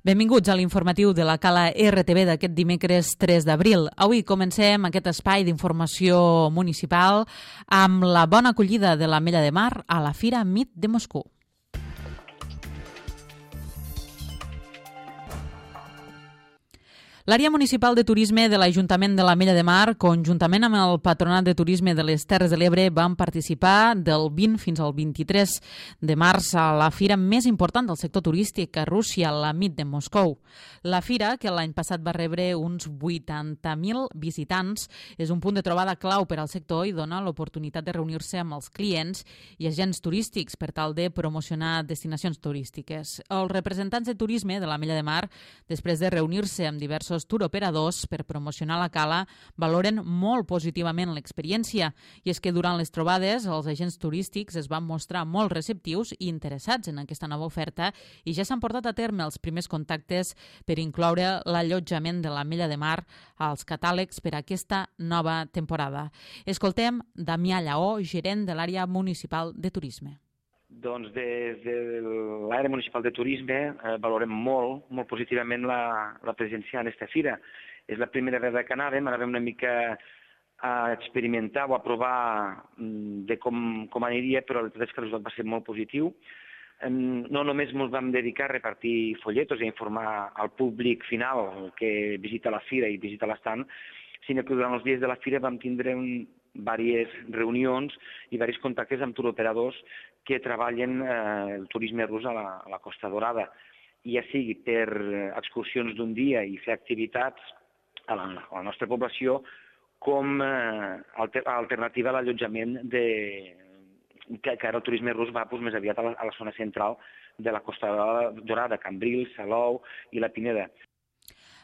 Benvinguts a l'informatiu de la Cala RTV d'aquest dimecres 3 d'abril. Avui comencem aquest espai d'informació municipal amb la bona acollida de l'Ametlla de Mar a la Fira MIT de Moscou. L'àrea municipal de turisme de l'Ajuntament de l'Ametlla de Mar, conjuntament amb el Patronat de Turisme de les Terres de l'Ebre, van participar del 20 fins al 23 de març a la fira més important del sector turístic a Rússia, la MIT de Moscou. La fira, que l'any passat va rebre uns 80.000 visitants, és un punt de trobada clau per al sector i dona l'oportunitat de reunir-se amb els clients i agents turístics per tal de promocionar destinacions turístiques. Els representants de turisme de l'Ametlla de Mar, després de reunir-se amb diversos touroperadors per promocionar la cala, valoren molt positivament l'experiència, i és que durant les trobades els agents turístics es van mostrar molt receptius i interessats en aquesta nova oferta i ja s'han portat a terme els primers contactes per incloure l'allotjament de l'Ametlla de Mar als catàlegs per a aquesta nova temporada. Escoltem Damià Lleó, gerent de l'àrea municipal de turisme. Doncs des de l'àrea municipal de turisme valorem molt positivament la presència en aquesta fira. És la primera vegada que anàvem una mica a experimentar o a provar de com aniria, però la veritat és que el resultat va ser molt positiu. No només ens vam dedicar a repartir folletos i a informar al públic final que visita la fira i visita l'estant, sinó que durant els dies de la fira vam tindre diverses reunions i diversos contactes amb touroperadors que treballen el turisme rus a la Costa Dorada, ja sigui per excursions d'un dia i fer activitats a la nostra població com a alternativa a l'allotjament que ara el turisme rus va més aviat a la zona central de la Costa Dorada, Cambrils, Salou i la Pineda.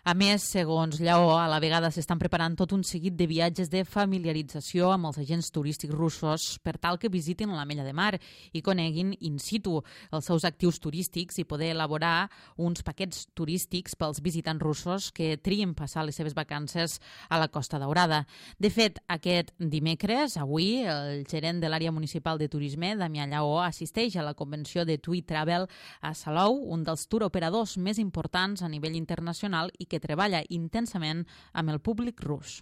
A més, segons Lleó, a la vegada s'estan preparant tot un seguit de viatges de familiarització amb els agents turístics russos per tal que visitin l'Ametlla de Mar i coneguin in situ els seus actius turístics i poder elaborar uns paquets turístics pels visitants russos que trien passar les seves vacances a la Costa Daurada. De fet, aquest dimecres, avui, el gerent de l'àrea municipal de turisme, Damià Lleó, assisteix a la convenció de TUI Travel a Salou, un dels touroperadors més importants a nivell internacional i que treballa intensament amb el públic rus.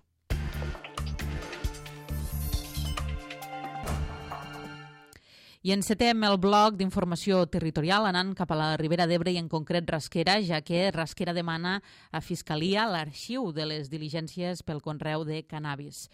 I encetem el bloc d'informació territorial anant cap a la Ribera d'Ebre i en concret Rasquera, ja que Rasquera demana a Fiscalia l'arxiu de les diligències pel conreu de cannabis.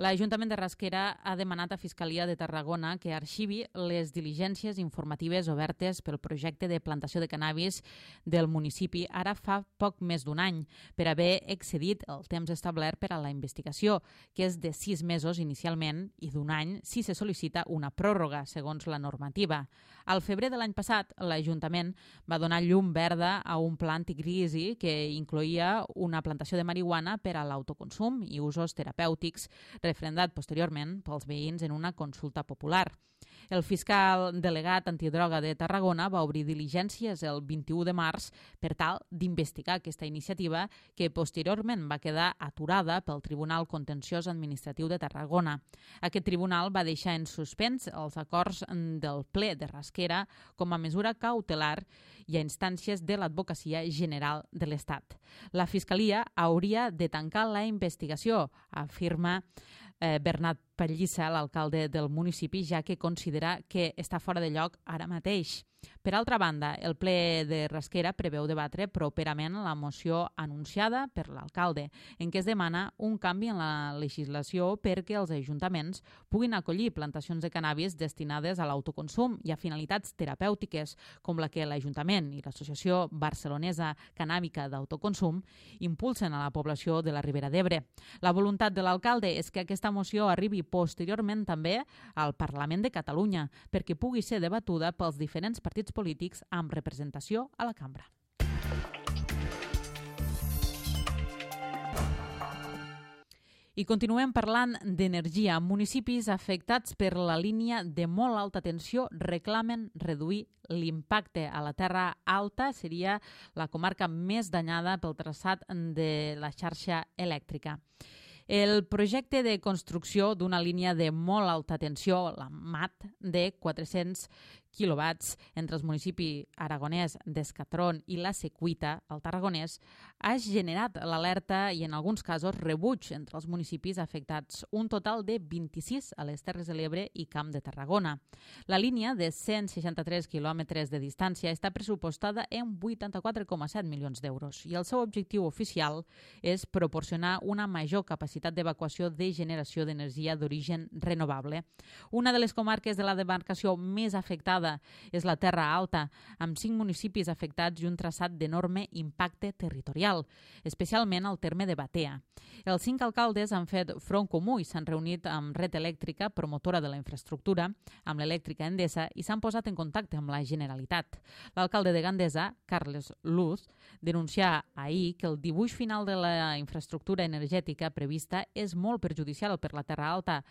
L'Ajuntament de Rasquera ha demanat a Fiscalia de Tarragona que arxivi les diligències informatives obertes pel projecte de plantació de cannabis del municipi ara fa poc més d'un any, per haver excedit el temps establert per a la investigació, que és de 6 mesos inicialment i d'un any si se sol·licita una pròrroga, segons la normativa. Al febrer de l'any passat, l'Ajuntament va donar llum verda a un pla anticrisi que incloïa una plantació de marihuana per a l'autoconsum i usos terapèutics, referendat posteriorment pels veïns en una consulta popular. El fiscal delegat antidroga de Tarragona va obrir diligències el 21 de març per tal d'investigar aquesta iniciativa que posteriorment va quedar aturada pel Tribunal Contenciós Administratiu de Tarragona. Aquest tribunal va deixar en suspens els acords del ple de Rasquera com a mesura cautelar i a instàncies de l'Advocacia General de l'Estat. La Fiscalia hauria de tancar la investigació, afirma Bernat Pallissa, l'alcalde del municipi, ja que considera que està fora de lloc ara mateix. Per altra banda, el ple de Rasquera preveu debatre properament la moció anunciada per l'alcalde, en què es demana un canvi en la legislació perquè els ajuntaments puguin acollir plantacions de cannabis destinades a l'autoconsum i a finalitats terapèutiques, com la que l'Ajuntament i l'Associació Barcelonesa Cannàbica d'Autoconsum impulsen a la població de la Ribera d'Ebre. La voluntat de l'alcalde és que aquesta moció arribi posteriorment també al Parlament de Catalunya perquè pugui ser debatuda pels diferents partits polítics amb representació a la cambra. I continuem parlant d'energia. Municipis afectats per la línia de molt alta tensió reclamen reduir l'impacte a la Terra Alta. Seria la comarca més danyada pel traçat de la xarxa elèctrica. El projecte de construcció d'una línia de molt alta tensió, la MAT, de 400 quilowatts entre els municipis aragonès d'Escatron i la Secuita, al Tarragonès, ha generat l'alerta i en alguns casos rebuig entre els municipis afectats, un total de 26 a les Terres de l'Ebre i Camp de Tarragona. La línia de 163 quilòmetres de distància està pressupostada en 84,7 milions d'euros i el seu objectiu oficial és proporcionar una major capacitat d'evacuació de generació d'energia d'origen renovable. Una de les comarques de la demarcació més afectada és la Terra Alta, amb 5 municipis afectats i un traçat d'enorme impacte territorial, especialment al terme de Batea. Els 5 alcaldes han fet front comú i s'han reunit amb Red Elèctrica, promotora de la infraestructura, amb l'elèctrica Endesa i s'han posat en contacte amb la Generalitat. L'alcalde de Gandesa, Carles Luz, denuncià ahir que el dibuix final de la infraestructura energètica prevista és molt perjudicial per la Terra Alta,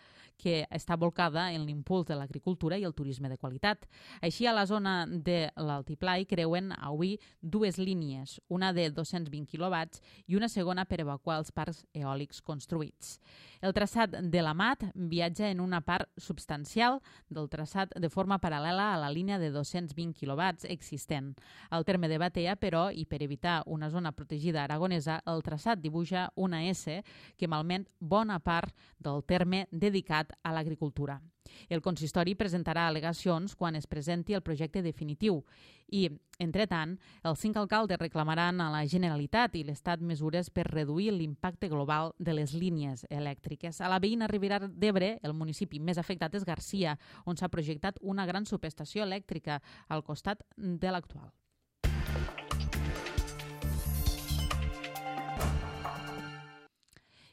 que està volcada en l'impuls de l'agricultura i el turisme de qualitat. Així, a la zona de l'Altiplà hi creuen avui 2 línies, una de 220 quilowatts i una segona per evacuar els parcs eòlics construïts. El traçat de la MAT viatja en una part substancial del traçat de forma paral·lela a la línia de 220 quilowatts existent. Al terme de Batea, però, i per evitar una zona protegida aragonesa, el traçat dibuixa una S que malmet bona part del terme dedicat a l'agricultura. El consistori presentarà al·legacions quan es presenti el projecte definitiu i, entretant, els 5 alcaldes reclamaran a la Generalitat i l'Estat mesures per reduir l'impacte global de les línies elèctriques. A la veïna Ribera d'Ebre, el municipi més afectat és Garcia, on s'ha projectat una gran subestació elèctrica al costat de l'actual.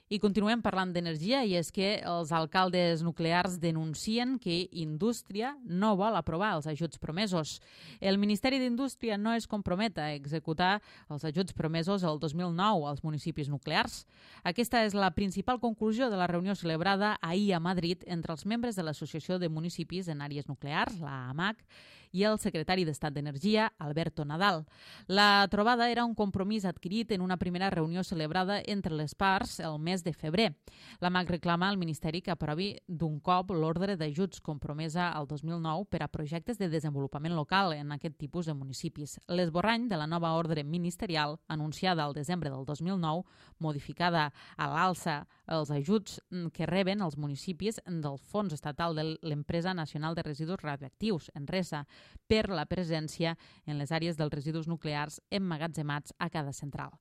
I continuem parlant d'energia i és que els alcaldes nuclears denuncien que Indústria no vol aprovar els ajuts promesos. El Ministeri d'Indústria no es compromet a executar els ajuts promesos el 2009 als municipis nuclears. Aquesta és la principal conclusió de la reunió celebrada ahir a Madrid entre els membres de l'Associació de Municipis en Àrees Nuclears, la AMAC, i el secretari d'Estat d'Energia, Alberto Nadal. La trobada era un compromís adquirit en una primera reunió celebrada entre les parts el mes de febrer. L'AMAC reclama al Ministeri que aprovi d'un cop l'ordre d'ajuts compromesa al 2009 per a projectes de desenvolupament local en aquest tipus de municipis. L'esborrany de la nova ordre ministerial, anunciada al desembre del 2009, modificada a l'alça els ajuts que reben els municipis del Fons Estatal de l'Empresa Nacional de Residus Radioactius, ENRESA, per la presència en les àrees dels residus nuclears emmagatzemats a cada central.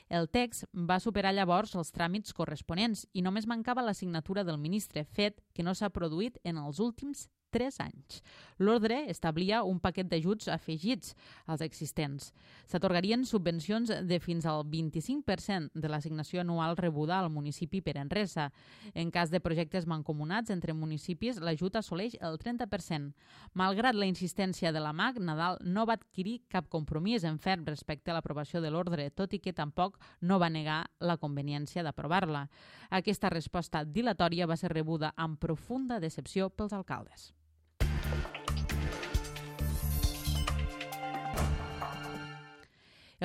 El text va superar llavors els tràmits corresponents i només mancava la signatura del ministre, fet que no s'ha produït en els últims 3 anys. L'ordre establia un paquet d'ajuts afegits als existents. S'atorgarien subvencions de fins al 25% de l'assignació anual rebuda al municipi per Enresa. En cas de projectes mancomunats entre municipis, l'ajut assoleix el 30%. Malgrat la insistència de la MAC, Nadal no va adquirir cap compromís en ferm respecte a l'aprovació de l'ordre, tot i que tampoc no va negar la conveniència d'aprovar-la. Aquesta resposta dilatòria va ser rebuda amb profunda decepció pels alcaldes.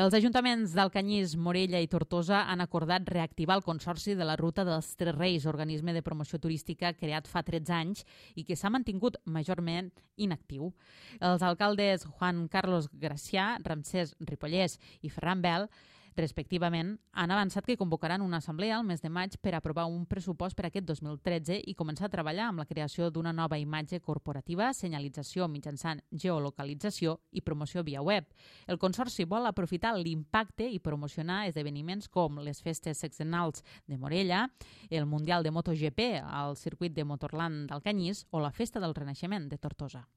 Els ajuntaments d'Alcanyís, Morella i Tortosa han acordat reactivar el Consorci de la Ruta dels Tres Reis, organisme de promoció turística creat fa 13 anys i que s'ha mantingut majorment inactiu. Els alcaldes Juan Carlos Gracià, Ramsès Ripollès i Ferran Bel, respectivament, han avançat que convocaran una assemblea al mes de maig per aprovar un pressupost per aquest 2013 i començar a treballar amb la creació d'una nova imatge corporativa, senyalització mitjançant geolocalització i promoció via web. El Consorci vol aprofitar l'impacte i promocionar esdeveniments com les festes sexenals de Morella, el Mundial de MotoGP al circuit de Motorland d'Alcanyís o la Festa del Renaixement de Tortosa.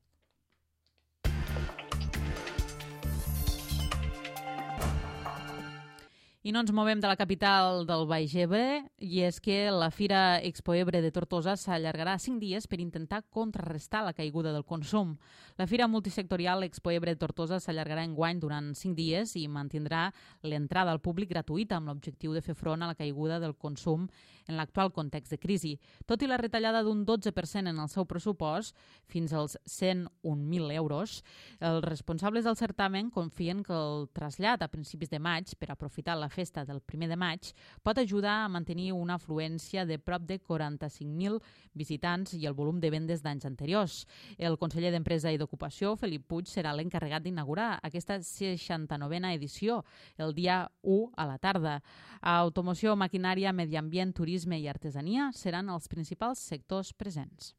I no ens movem de la capital del Baix Ebre, i és que la Fira Expo Ebre de Tortosa s'allargarà 5 dies per intentar contrarrestar la caiguda del consum. La Fira Multisectorial Expo Ebre de Tortosa s'allargarà enguany durant 5 dies i mantindrà l'entrada al públic gratuïta amb l'objectiu de fer front a la caiguda del consum en l'actual context de crisi. Tot i la retallada d'un 12% en el seu pressupost, fins als 101.000 euros, els responsables del certamen confien que el trasllat a principis de maig per aprofitar la festa del 1 de maig, pot ajudar a mantenir una afluència de prop de 45.000 visitants i el volum de vendes d'anys anteriors. El conseller d'Empresa i d'Ocupació, Felip Puig, serà l'encarregat d'inaugurar aquesta 69a edició el dia 1 a la tarda. Automoció, maquinària, medi ambient, turisme i artesania seran els principals sectors presents.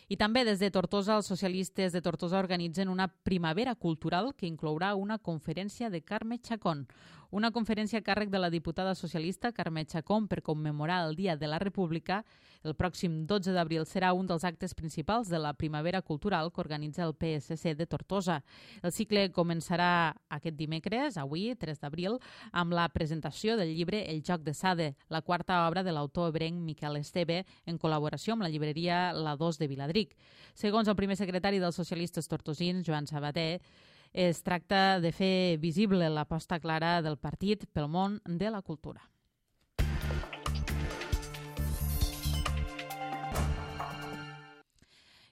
I també des de Tortosa, els socialistes de Tortosa organitzen una primavera cultural que inclourà una conferència de Carme Chacón. Una conferència a càrrec de la diputada socialista Carme Chacón per commemorar el Dia de la República. El pròxim 12 d'abril serà un dels actes principals de la primavera cultural que organitza el PSC de Tortosa. El cicle començarà aquest dimecres, avui, 3 d'abril, amb la presentació del llibre El joc de Sade, la quarta obra de l'autor ebrenc Miquel Esteve, en col·laboració amb la llibreria La 2 de Viladric. Segons el primer secretari dels socialistes tortosins, Joan Sabater, es tracta de fer visible l'aposta clara del partit pel món de la cultura.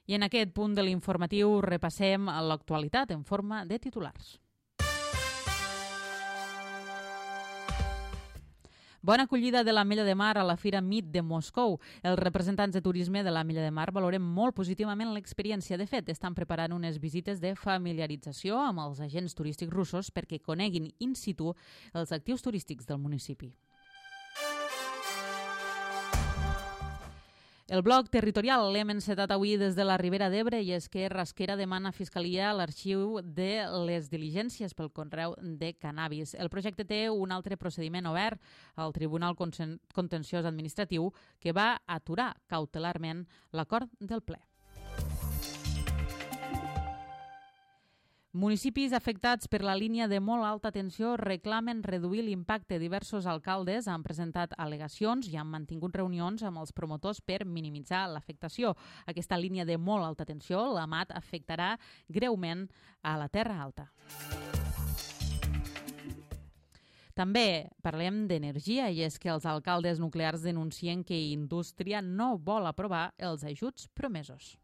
I en aquest punt de l'informatiu repassem l'actualitat en forma de titulars. Bona acollida de l'Ametlla de Mar a la Fira MIT de Moscou. Els representants de turisme de l'Ametlla de Mar valorem molt positivament l'experiència. De fet, estan preparant unes visites de familiarització amb els agents turístics russos perquè coneguin in situ els actius turístics del municipi. El bloc territorial l'hem encetat avui des de la Ribera d'Ebre i és que Rasquera demana a Fiscalia l'arxiu de les diligències pel conreu de cannabis. El projecte té un altre procediment obert al Tribunal Contenciós Administratiu que va aturar cautelarment l'acord del ple. Municipis afectats per la línia de molt alta tensió reclamen reduir l'impacte. Diversos alcaldes han presentat al·legacions i han mantingut reunions amb els promotors per minimitzar l'afectació. Aquesta línia de molt alta tensió, la MAT, afectarà greument a la Terra Alta. També parlem d'energia i és que els alcaldes nuclears denuncien que Indústria no vol aprovar els ajuts promesos.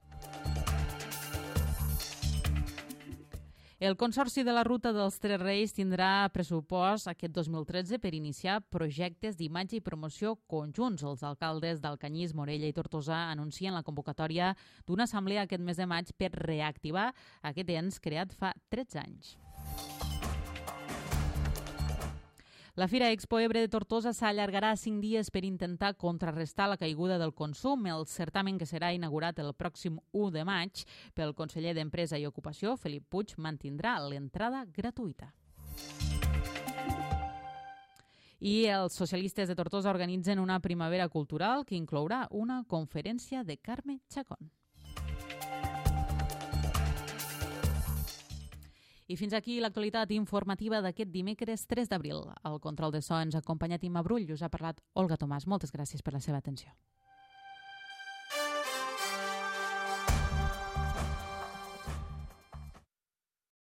El Consorci de la Ruta dels Tres Reis tindrà pressupost aquest 2013 per iniciar projectes d'imatge i promoció conjunts. Els alcaldes d'Alcanyís, Morella i Tortosa anuncien la convocatòria d'una assemblea aquest mes de maig per reactivar aquest ens creat fa 13 anys. La Fira Expo Ebre de Tortosa s'allargarà 5 dies per intentar contrarrestar la caiguda del consum. El certamen, que serà inaugurat el pròxim 1 de maig pel conseller d'Empresa i Ocupació, Felip Puig, mantindrà l'entrada gratuïta. I els socialistes de Tortosa organitzen una primavera cultural que inclourà una conferència de Carme Chacón. I fins aquí l'actualitat informativa d'aquest dimecres 3 d'abril. Al control de so ens ha acompanyat Imma Brull i us ha parlat Olga Tomàs. Moltes gràcies per la seva atenció.